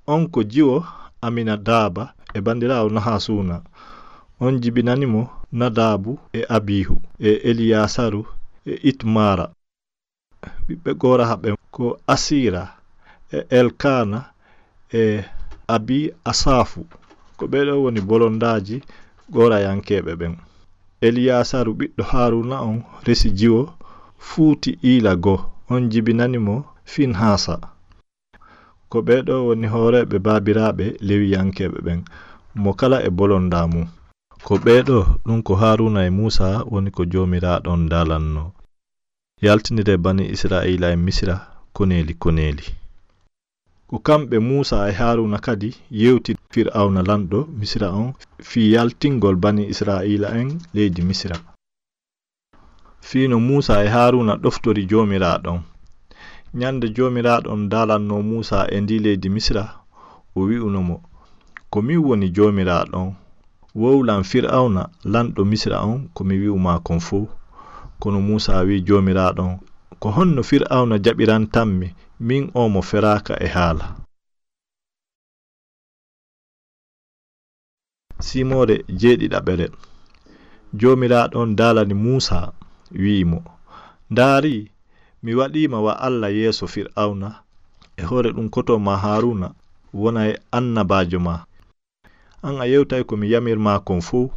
On ko jiwo Aminadaaba e bandiraawo Nahasuuna. On jibinani mo Nadaabu e Abiihu e Eliyaasaru e Itmaara. Ɓiɓɓe Gooraha ɓen ko Asiira e Elkaana e Abi Asaafu. Ko ɓee ɗoo woni bolondaaji Goorayankeeɓe ɓen. Eliyaasaru ɓiɗɗo Haaruuna on resi jiwo Fuuti Iila goo. On jibinani mo Finhaasa. Ko ɓee ɗoo woni hooreeɓe baabiraaɓe Lewiyankeeɓe ɓen, mo kala e bolondaa mun. Ko ɓee ɗoo, ɗun ko Haaruuna e Muusa woni ko Joomiraaɗo on daalannoo. Yaltiniree banii Isra'iila'en Misira koneeli koneeli. Ko kamɓe Muusa e Haaruuna kadi yewti Fir'awna lanɗo Misira on fii yaltingol banii Isra'iila'en leydi Misira. Fii no Muusa e Haaruuna ɗoftori Joomiraaɗo on. Ñande Joomiraaɗo on daalannoo Muusa e ndii leydi Misira, o wi'uno mo, "Ko min woni Joomiraaɗo on. Wowlan Fir'awna, lanɗo Misira on, ko mi wi'u maa kon fow." Kono Muusa wi'i Joomiraaɗo on, "Ko honno Fir'awna jaɓirantammi, min oo mo feraaka e haala?" Simoore jeeɗiɗaɓere. Joomiraaɗo on daalani Muusa, wi'i mo, "Ndaari, mi waɗii ma wa Alla yeeso Fir'awna, e hoore ɗun koto maa Haaruuna wonay annabaajo maa. An a yewtay ko mi yamir maa kon fow,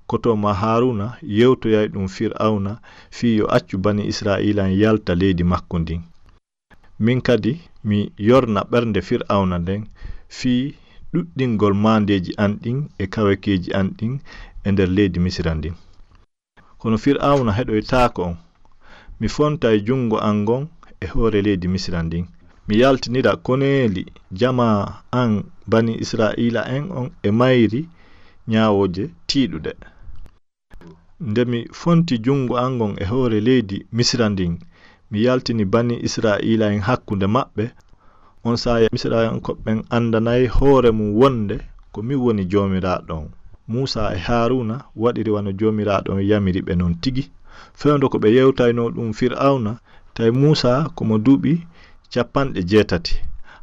koto maa Haaruuna yewtoyay ɗun Fir'awna fii yo accu banii Isra'iila'en yalta leydi makko ndin. Min kadi mi yorna ɓernde Fir'awna nden fii ɗuɗɗingol maandeeji an ɗin e kawekeeji an ɗin e nder leydi Misira ndin. Kono Fir'awna heɗoytaako on. Mi fontay junngo an ngon e hoore leydi Misira ndin. Mi yaltinira koneeli jamaa an banii Isra'iila'en on e mayri ñaawooje tiiɗuɗe. Nde mi fonti junngo an ngon e hoore leydi Misira ndin, mi yaltini banii Isra'iila'en hakkunde maɓɓe, on saa'i Misirankooɓe ɓen anndanay hoore mun wonde ko min woni Joomiraaɗo on." Muusa e Haaruuna waɗiri wano Joomiraaɗo on yamiri ɓe non tigi. Fewndo ko ɓe yewtaynoo ɗun Fir'awna, tawi Muusa ko mo duuɓi cappanɗe jeetati,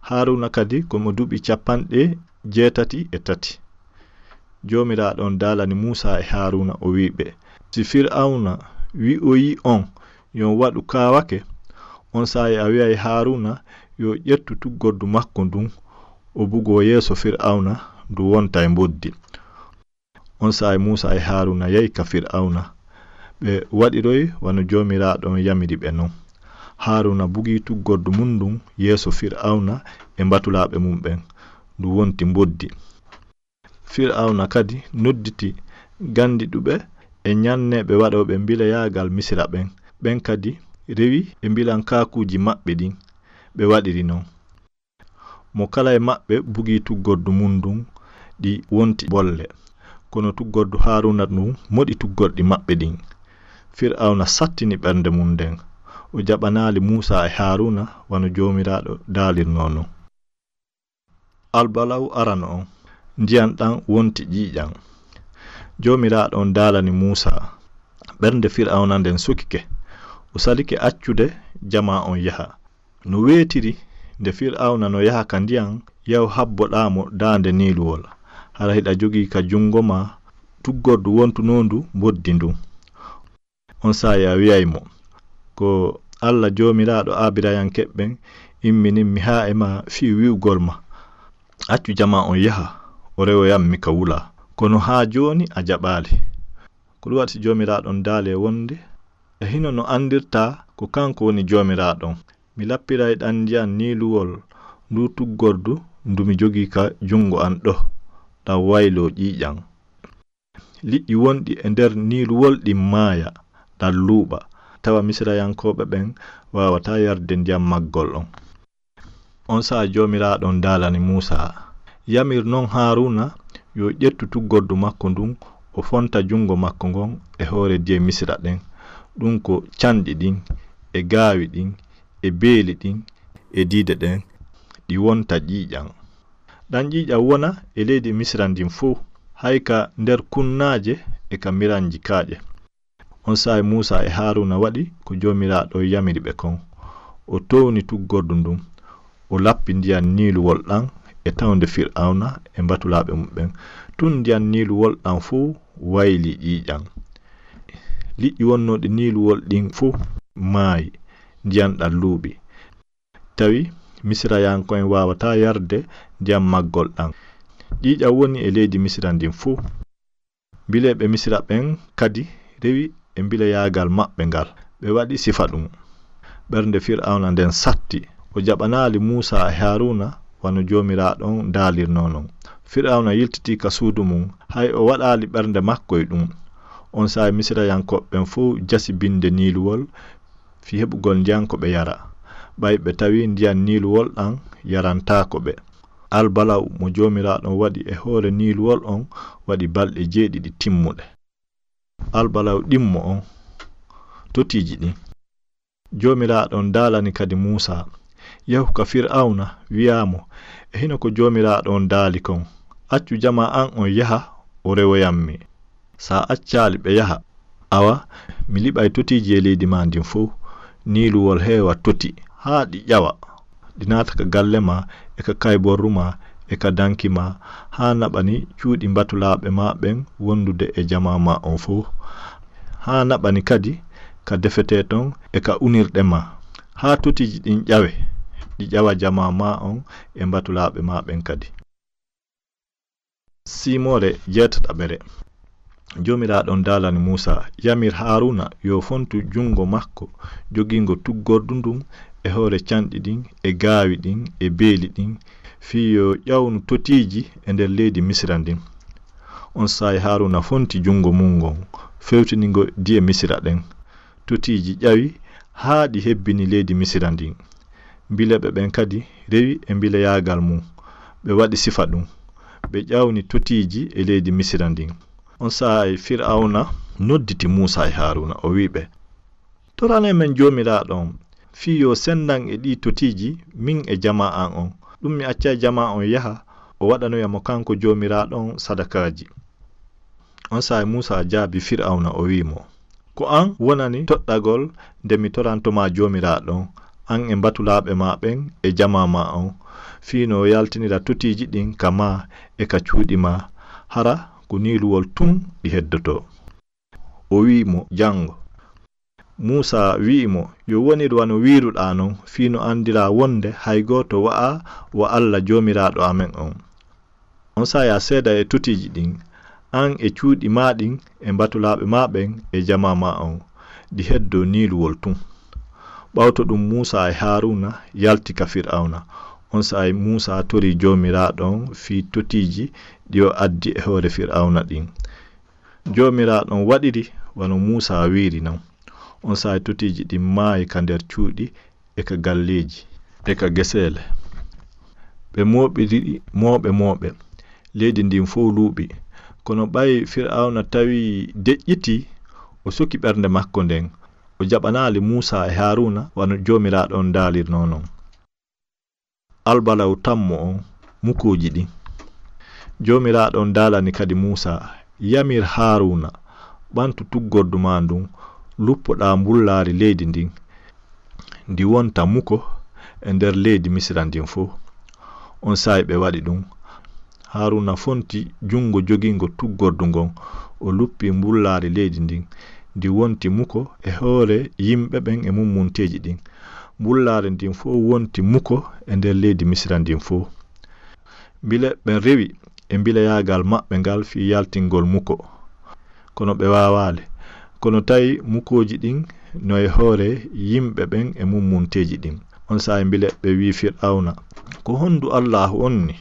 Haaruuna kadi ko mo duuɓi cappanɗe jeetati e tati. Joomiraaɗo on daalani Muusa e Haaruuna, o wi'i ɓe, "Si Fir'awna wi'oyii on yo on waɗu kaawake, on saa'i a wi'ay Haaruuna yo ƴettu tuggordu makko ndun, o bugoo yeeso Fir'awna, ndu wonta e mboddi. On saa'i Muusa e Haruna yahi ka Fir'auna. Ɓe waɗiroyi wano Joomiraaɗo on yamiri ɓe non. Haruna bugi tuggordu mun ndun yeeso Fir'auna e mbatulaaɓe mun ɓen. Ndu wonti mboddi. Fir'auna kadi nodditi gandiɗuɓe e nyanneeɓe waɗooɓe mbilayaagal Misira ɓen. Ɓen kadi rewi e mbilankaakuuji maɓɓe ɗin. Ɓe waɗiri non. Mo kala e maɓɓe bugi tuggordu mun ndun, ɗi wonti bolle. Kono tuggordu Haruna ndun moɗi tuggorɗi maɓɓe ɗin. Fir'auna sattini ɓernde mun nden. O jaɓanaali Muusa e Haruna wano Joomiraaɗo daalirnoo non. Albalaw arano on, ndiyan ɗan wonti ƴiiƴan. Joomiraaɗo on daalani Muusa. Ɓernde Fir'auna nden sukike. O salike accude jamaa on yaha. No weetiri, nde Fir'awna no yaha ka ndiyan, yahu habboɗaa mo daande niiluwol. Hara hiɗa jogii ka jungo maa tuggordu wontunondu mboddi ndun. On saa'i a wi'ay mo, "Ko Alla Joomiraaɗo Aabirayankeeɓe ɓen imminimmi haa e maa fii wi'ugol ma, 'Accu jamaa on yaha, o rewoyan mi ka wulaa.' Kono haa jooni a jaɓaali. Ko ɗun waɗi si Joomiraaɗo on daali e wonde, e hino no andirtaa ko kanko woni Joomiraaɗo on. Mi lappiray ɗan ndiyan niiluwol nduu tuggordu ndu mi jogii ka jungo an ɗoo, ɗan wayloo ƴiiƴan. Liƴƴi wonɗi e nder niiluwol ɗin maaya, ɗan luuɓa, tawa Misirayankooɓe ɓen waawataa yarde ndiyan maggol on." On saa'i Joomiraaɗo on daalani Muusaa, "Yamir non Haaruuna yo ƴettu tuggordu makko ndun, o fonta jungo makko ngon e hoore diye Misira ɗen, ɗun ko canɗi ɗin, e gaawi ɗin, e beeli ɗin, e diide ɗen, ɗi wonta ƴiiƴan. Ɗan ƴiiƴan wona e leydi Misira ndin fow, hay ka nder kunnaaje e ka miranji kaaƴe." On saa'i Muusaa e Haaruuna waɗi ko Joomiraaɗo yamiri ɓe kon. O towni tuggordu ndun. O lappi ndiyan niiluwol ɗan e tawnde Fir'awna e mbatulaaɓe mun ɓen. Tun ndiyan niiluwol ɗan fow wayli ƴiiƴan. Liƴƴi wonnooɗi niiluwol ɗin fow maayi, ndiyan ɗan luuɓi. Tawi Misirayanko'en waawataa yarde ndiyan maggol ɗan. Ƴiiƴan woni e leydi Misira ndin fow. Mbileeɓe Misira ɓen kadi rewi e mbileyaagal maɓɓe ngal. Ɓe waɗi sifa ɗun. Ɓernde Fir'awna nden satti. O jaɓanaali Muusaa e Haaruuna wano Joomiraaɗo on daalirnoo non. Fir'awna yiltitii ka suudu mun, hay o waɗaali ɓernde makko e ɗun. On saa'i Misirayankooɓe ɓen fow jasi binde niiluwol fii heɓugol ndiyan ko ɓe yara. Ɓay ɓe tawii ndiyan niiluwol ɗan yarantaako ɓe. Albalaw mo Joomiraaɗo on waɗi e hoore niiluwol on waɗi balɗe jeeɗiɗi timmuɗe. Albalaw ɗimmo on, totiiji ɗin. Joomiraaɗo on daalani kadi Muusaa, "Yahu ka Fir'awna, wi'aa mo, 'E hino ko Joomiraaɗo on daali kon, accu jamaa an on yaha, o rewoyan mi. Si a accaali ɓe yaha, awa, mi liɓay totiiji e leydi maa ndin fow, niiluwol heewa toti, haa ɗi ƴawa. Ɗi naata ka galle maa, e ka kayborru maa, e ka danki maa, haa naɓani cuuɗi mbatulaaɓe maa ɓen wondude e jamaa maa on fow. Haa naɓani kadi ka defetee ton e ka unirɗe maa. Haa totiiji ɗin ƴawe, ɗi ƴawa jamaa maa on e mbatulaaɓe maa ɓen kadi.'" Siimoore jeetataɓere. Joomiraaɗo on daalani Muusaa, "Yamir Haaruuna yo fontu jungo makko jogingo tuggordu ndun e hoore canɗi ɗin, e gaawi ɗin, e beeli ɗin, fii yo ƴawnu totiiji e nder leydi Misira ndin." On saa'i Haaruuna fonti jungo mun ngon, fewtini ngo diye Misira ɗen. Totiiji ƴawi haa ɗi hebbini leydi Misira ndin. Mbileeɓe ɓen kadi rewi e mbileyaagal mun. Ɓe waɗi sifa ɗun. Ɓe ƴawni totiiji e leydi Misira ndin. On saa'i Fir'awna nodditi Muusaa e Haaruuna, o wi'i ɓe, "Toranee men Joomiraaɗo on, fii yo sendan e ɗii totiiji min e jamaa an on. Ɗun mi accay jamaa on yaha, o waɗanoya mo kanko Joomiraaɗo on sadakaaji." On saa'i Muusaa jaabii Fir'awna, o wi'i mo, "Ko an wonani toɗɗagol nde mi toranto maa Joomiraaɗo on, an e mbatulaaɓe maa ɓen e jamaa maa on, fii no yaltinira totiiji ɗin ka maa e ka cuuɗi maa, hara ko niiluwol tun ɗi heddotoo." O wi'i mo, "Jango." Muusaa wi'i mo, "Yo wonir wano wi'iruɗaa non, fii no andiraa wonde hay gooto wa'aa wa Alla Joomiraaɗo amen on." On saa'i a seeda e totiiji ɗin, an e cuuɗi maa ɗin e mbatulaaɓe maa ɓen e jamaa maa on, ɗi heddoo Niiluwol tun. Ɓawto ɗun Muusaa e Haaruuna yalti ka Fir'awna. On saa'i Muusaa torii Joomiraaɗo on fii totiiji ɗi o addi e hoore Fir'awna ɗin. Joomiraaɗo on waɗiri wano Muusaa wi'iri non. On saa'i totiiji ɗin maayi ka nder cuuɗi e ka galleeji e ka geseele. Ɓe mooɓiri ɗi mooɓe mooɓe. Leydi ndin fow luuɓi. Kono ɓay Fir'awna tawi deƴƴitii, o soki ɓernde makko nden. O jaɓanaali Muusaa e Haaruuna wano Joomiraaɗo on daalirnoo non. Albala'u tammo on, mukooji ɗin. Joomiraaɗo on daalani kadi Muusaa, yamir Haaruuna, ɓantu tuggordu maa ndun, luppoɗaa mbullaari leydi ndin, ndi wonta muko e nder leydi Misira ndin fow. On saa'i ɓe waɗi ɗun. Haaruuna fonti jungo jogingo tuggordu ngon, o luppi mbullaari leydi ndin, ndi wonti muko e hoore yimɓe ɓen e mummunteeji ɗin. Mbullaari ndin fow wonti muko e nder leydi Misira ndin fow. Mbile ɓen rewi e mbileyaagal maɓɓe ngal fii yaltingol muko. Kono ɓe waawaali. Kono tawi mukooji ɗin no e hoore yimɓe ɓen e mummunteeji ɗin. On saa'i mbile ɓe wi'i Fir'awna, ko hondu Allaahu on ni?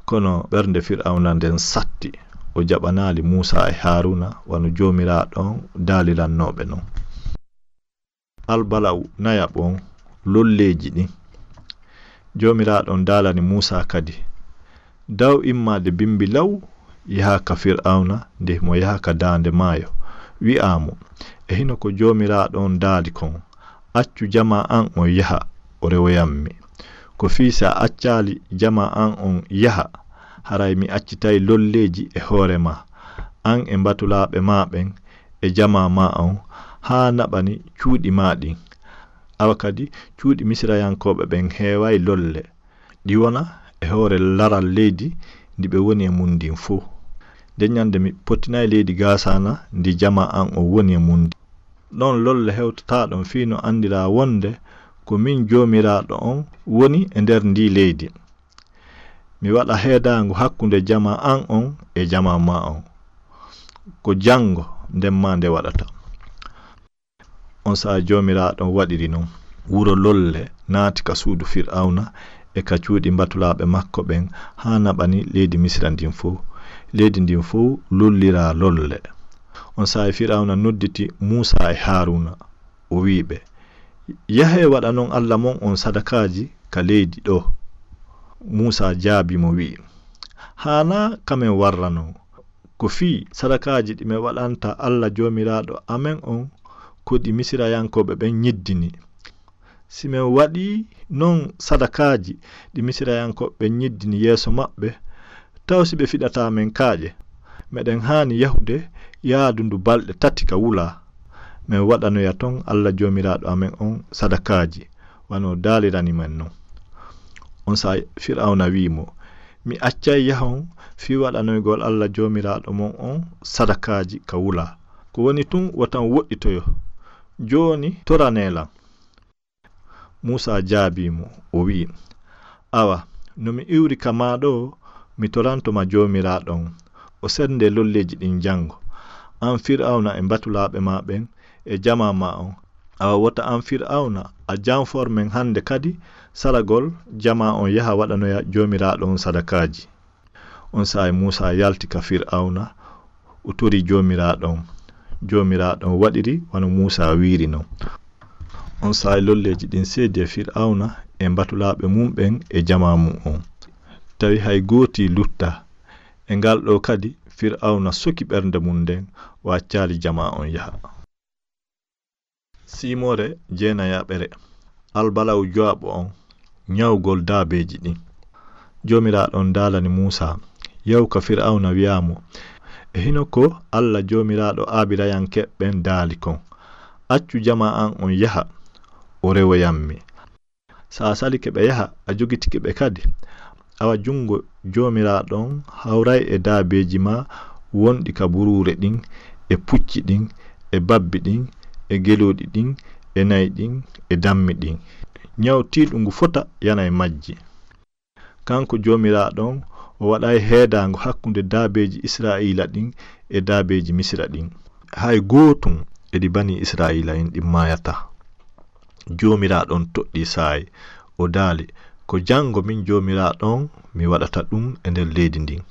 Kono ɓernde Fir'awna nden satti. O jaɓanaali Muusaa e Haaruuna wano Joomiraaɗo on daalirannoo ɓe non. Albala'u nayaɓo on, lolleeji ɗin. Joomiraaɗo on daalani Muusaa kadi, daw immaade bimbi law, yahaa ka Fir'awna, nde himo yaha ka daande maayo. Wi'aa mo, e hino ko Joomiraaɗo on daali kon, accu jamaa an on yaha, o rewoyammi. Ko fii si a accaali jamaa an on yaha, haray mi accitay lolleeji e hoore maa, an e mbatulaaɓe maa ɓen, e jamaa maa on, haa naɓani cuuɗi maa ɗin. Awa kadi, cuuɗi Misirayankooɓe ɓen heeway lolle. Ɗi wona e hoore laral leydi ndi ɓe woni e mun ndin fow. Nden ɲande mi pottinay leydi Gaasaana ndi jamaa an on woni e mun ndin. Ɗon lolle hewtataa ɗon fii no anndiraa wonde ko min Joomiraaɗo on woni e nder ndii leydi. Mi waɗa heedaango hakkunde jamaa an on e jamaa maa on. Ko janngo nden maa nde waɗata. On saa'i Joomiraaɗo on waɗiri non. Wuro lolle naati ka suudu Fir'awna e ka cuuɗi mbatulaaɓe makko ɓen haa naɓani leydi Misira ndin fow. Leydi ndin fow lolliraa lolle. On saa'i Fir'awna nodditi Muusaa e Haaruuna. O wi'i ɓe, yahee waɗanon Alla mon on sadakaaji ka leydi ɗoo. Muusaa jaabii mo wi'i, haanaa ka men warra non. Ko fii sadakaaji ɗi men waɗanta Alla Joomiraaɗo amen on ko ɗi Misirayankooɓe ɓen nyiddini. Si men waɗii non sadakaaji ɗi Misirayankooɓe ɓen nyiddini yeeso maɓɓe, taw si ɓe fiɗataa men kaaƴe? Meɗen haani yahude yaadu ndu balɗe tati ka wulaa. Men waɗanoya ton Alla Joomiraaɗo amen on sadakaaji, wano daalirani men non. On saa'i Fir'awna wi'i mo, mi accay yahon fii waɗanoygol Alla Joomiraaɗo mon on sadakaaji ka wulaa. Ko woni tun, wota on woɗɗitoyo. Jooni toranee lan. Muusaa jaabii mo, o wi'i, awa, no mi iwri ka maa ɗoo, mi toranto ma Joomiraaɗo on, o sendee lolleeji ɗin janngo, an Fir'awna e mbatulaaɓe maa ɓen e jamaa maa on. Awa wota an Fir'awna a janfor men hande kadi saragol jamaa on yaha waɗanoya Joomiraaɗo on sadakaaji. On saa'i Muusaa yalti ka Fir'awna, o tori Joomiraaɗo on. Joomiraaɗo on waɗiri wano Muusaa wi'iri non. On saa'i lolleeji ɗin seedi e Fir'awna e mbatulaaɓe mun ɓen e jamaa mun on. Tawi hay gootii luttaa. E ngal ɗoo kadi, Fir'awna soki ɓernde mun nden, o accaali jamaa on yaha. Siimoore jeenayaɓere. Albala'u jowaɓo on, ɲawgol daabeeji ɗin. Joomiraaɗo on daalani Muusaa, yahu ka Fir'awna, wi'aa mo, e hino ko Alla Joomiraaɗo Aabirayankeeɓe ɓen daali kon, accu jamaa an on yaha, o rewoyammi. Si a salike ɓe yaha, a jogitike ɓe kadi, awa junngo Joomiraaɗo on hawray e daabeeji maa wonɗi ka buruure ɗin, e pucci ɗin, e babbi ɗin, e gelooɗi ɗin, e na'i ɗin, e dammi ɗin. Ɲaw tiiɗungu fota yana e majji. Kanko Joomiraaɗo on, o O waɗaay heedaango hakkunde daabeeji Israa'iila ɗin e daabeeji Misira ɗin. Hay gootun e ɗi banii Israa'iila'en ɗin maayataa. Joomiraaɗo on toɗɗii Saayi, o daali, "Ko janngo min Joomiraaɗo on mi waɗata ɗun e nder leydi ndin."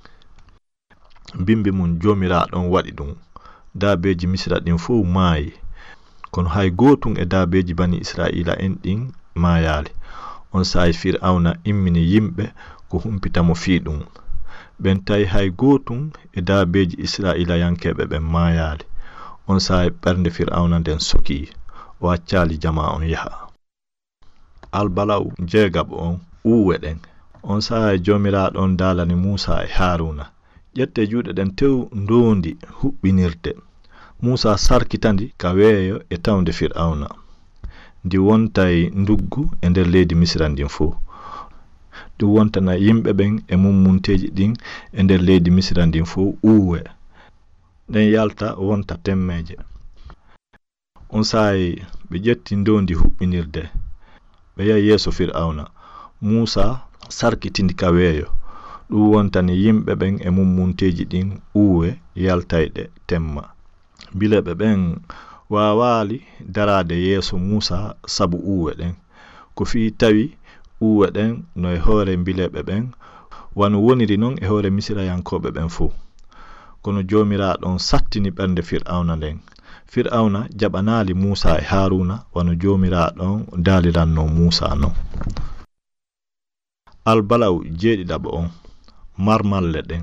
Bimbi mun Joomiraaɗo on waɗi ɗun. Daabeeji Misira ɗin fow maayi. Kono hay gootun e daabeeji banii Israa'iila'en ɗin maayaali. Onsay Fir'awna immini yimɓe ko humpita mo fii ɗun. Ɓen tawi hay gootun e daabeeji Israa'iilayankeeɓe ɓen maayaali. Onsay ɓernde Fir'awna nden sokii, o accaali jamaa on yaha. Albala'u jeegaɓo on, uuwe ɗen. Onsay Joomiraaɗo on daalani Muusaa e Haaruuna, "Ƴettee juuɗe ɗen tew ndoondi huɓɓinirde." Muusaa sarkita ndi ka weeyo e tawnde Fir'awna. Ndi wontay nduggu e nder leydi Misira ndin fow. Ɗun wontana yimɓe ɓen e mummunteeji ɗin e nder leydi Misira ndin fow uuwe. Ɗen yalta wonta temmeeje. Onsay ɓe ƴetti ndoondi huɓɓinirde, ɓe yahi yeeso Fir'awna. Muusaa sarkiti ndi ka weeyo. Ɗun wontani yimɓe ɓen e mummunteeji ɗin uuwe yaltayɗe temma. Mbileeɓe ɓen waawaali daraade yeeso Muusaa sabu uuwe ɗen. Ko fii tawi uuwe ɗen no e hoore mbileeɓe ɓen, wano woniri non e hoore Misirayankooɓe ɓen fow. Kono Joomiraaɗo on sattini ɓernde Fir'awna nden. Fir'awna jaɓanaali Muusaa e Haaruuna wano Joomiraaɗo on daalirannoo Muusaa non. Albala'u jeeɗiɗaɓo on, marmalle ɗen.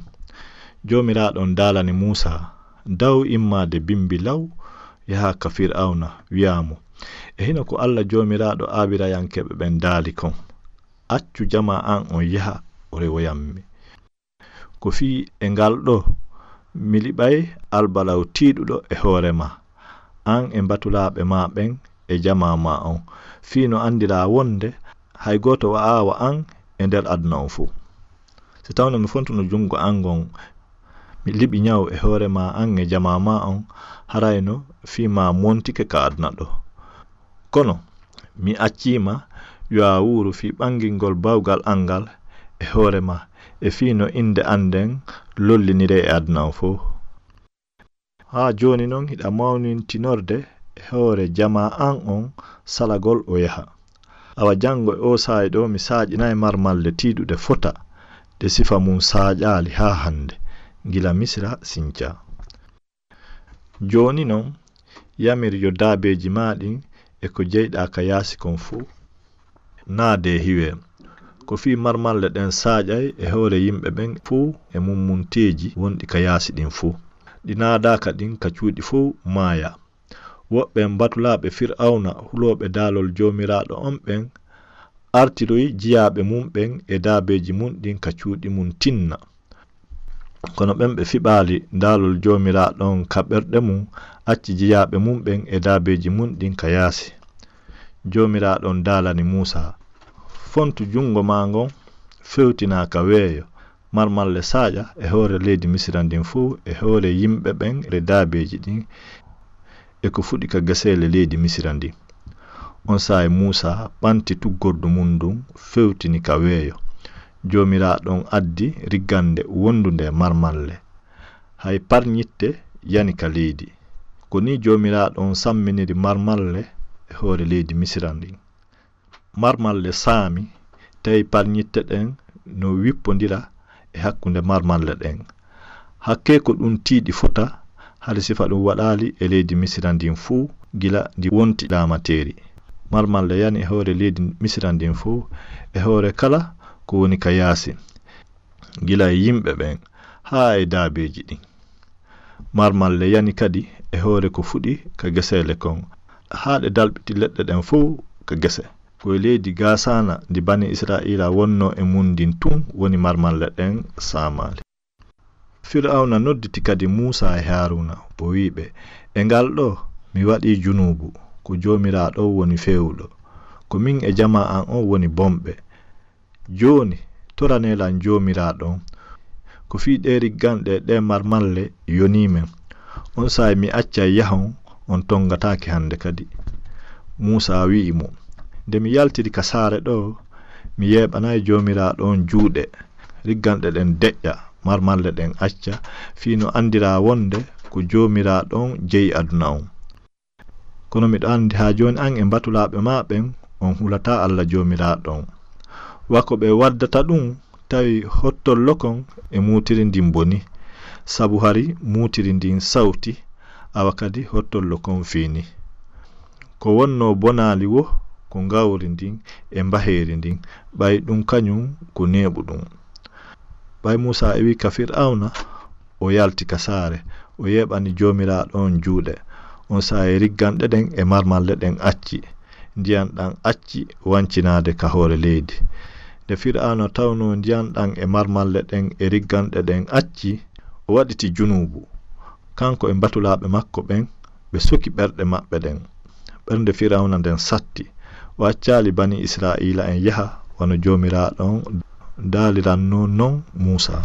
Joomiraaɗo on daalani Muusaa, "Daw immaade bimbi law, yahaa ka Fir'awna, wi'aa mo, 'E hino ko Alla Joomiraaɗo Aabirayankeeɓe ɓen daali kon, accu jamaa an on yaha, o rewoyammi.'" Ko fii e ngal ɗoo, mi liɓay albala'u tiiɗuɗo e hoore maa, an e mbatulaaɓe maa ɓen e jamaa maa on, fii no anndiraa wonde hay gooto wa'aa wa an e nder aduna on fow. Si tawno mi fontuno junngo an ngon, mi liɓi nyawu e hoore maa an e jamaa maa on, harayno fii maa montike ka aduna ɗoo. Kono mi accii ma yo a wuuru fii ɓangingol bawgal an ngal e hoore maa, e fii no innde an nden lolliniree e aduna on fow. Haa jooni non hiɗa mawnintinorde e hoore jamaa an on salagol o yaha. Awa janngo e oo saa'i ɗoo mi saaƴinay marmalle tiiɗuɗe fota, ɗe sifa mun saaƴaali haa hannde, gila Misira sincaa. Jooni non, yamir yo daabeeji maa ɗin e ko jeyɗaa ka yaasi kon fow naadee hiwee. Ko fii marmalle ɗen saaƴay e hoore yimɓe ɓen fow e mummunteeji wonɗi ka yaasi ɗin fow. Ɗi naadaaka ɗin ka cuuɗi fow maaya. Woɓɓe mbatulaaɓe Fir'awna hulooɓe daalol Joomiraaɗo on ɓen artiroyi jiyaaɓe mun ɓen e daabeeji mun ɗin ka cuuɗi mun tinna. Kono ɓen ɓe fiɓaali daalol Joomiraaɗo on ka ɓerɗe mun, acci jiyaaɓe mun ɓen e daabeeji mun ɗin ka yaasi. Joomiraaɗo on daalani Muusaa, "Fontu junngo maa ngon, fewtinaa ka weeyo, marmalle saaƴa e hoore leydi Misira ndin fow, e hoore yimɓe ɓen e daabeeji ɗin, e ko fuɗi ka geseele leydi Misira ndin." Onsay Muusaa ɓanti tuggordu mun ndun, fewtini ka weeyo. Joomiraaɗo on addi riggannde wondunde e marmalle. Hay parñitte yani ka leydi. Ko nii Joomiraaɗo on samminiri marmalle e hoore leydi Misira ndin. Marmalle saami, tawi parñitte ɗen no wippondira e hakkunde marmalle ɗen. Hakkee ko ɗun tiiɗi fota, hari sifa ɗun waɗaali e leydi Misira ndin fow gila ndi wonti laamateeri. Marmalle yani e hoore leydi Misira ndin fow, e hoore kala ko woni ka yaasi, gila e yimɓe ɓen haa e daabeeji ɗin. Marmalle yani kadi e hoore ko fuɗi ka geseele kon, haa ɗe dalɓiti leɗɗe ɗen fow ka gese. Ko e leydi Gaasaana ndi Banii Isra'iila wonnoo e mun ndin tun woni marmalle ɗen saamaali. Fir'awna nodditi kadi Muusaa e Haaruuna, o wi'i ɓe, "E ngal ɗoo mi waɗii junuubu, ko Joomiraaɗo woni feewuɗo. Ko min e jamaa an on woni bonɓe. Jooni, toranee lan Joomiraaɗo on. Ko fii ɗee rigganɗe e ɗee marmalle yonii men. Onsay mi accay yahon, on tongataake hande kadi." Muusaa wi'i mo, "Nde mi yaltiri ka saare ɗoo, mi yeeɓanaay Joomiraaɗo on juuɗe. rigganɗe ɗen deƴƴa, marmalle ɗen acca, fii no anndiraa wonnde ko Joomiraaɗo on jeyi aduna on. Kono miɗo anndi haa jooni an e mbatulaaɓe maa ɓen, on hulataa Alla Joomiraaɗo on. Wa ko ɓe waddata ɗun, tawi hottollo kon e muutiri ndin boni, sabu hari muutiri ndin sawti, awa kadi hottollo kon fiini. Ko wonnoo bonaali woo ko ngawri ndin e mbaheeri ndin, ɓay ɗun kañun ko neeɓu ɗun. Ɓay Muusaa iwii ka Fir'awna, o yalti ka saare, o yeeɓani Joomiraaɗo on juuɗe. On saa'i rigganɗe ɗen e marmalle ɗen acci. Ndiyan ɗan acci wancinaade ka hoore leydi. Nde Fir'awna tawnoo ndiyan ɗan e marmalle ɗen e rigganɗe ɗen acci, o waɗiti junuubu, kanko e mbatulaaɓe makko ɓen, ɓe soki ɓerɗe maɓɓe ɗen. Ɓernde Fir'awna nden satti. O accaali Banii Isra'iila'en yaha wano Joomiraaɗo on daalirannoo non Muusaa.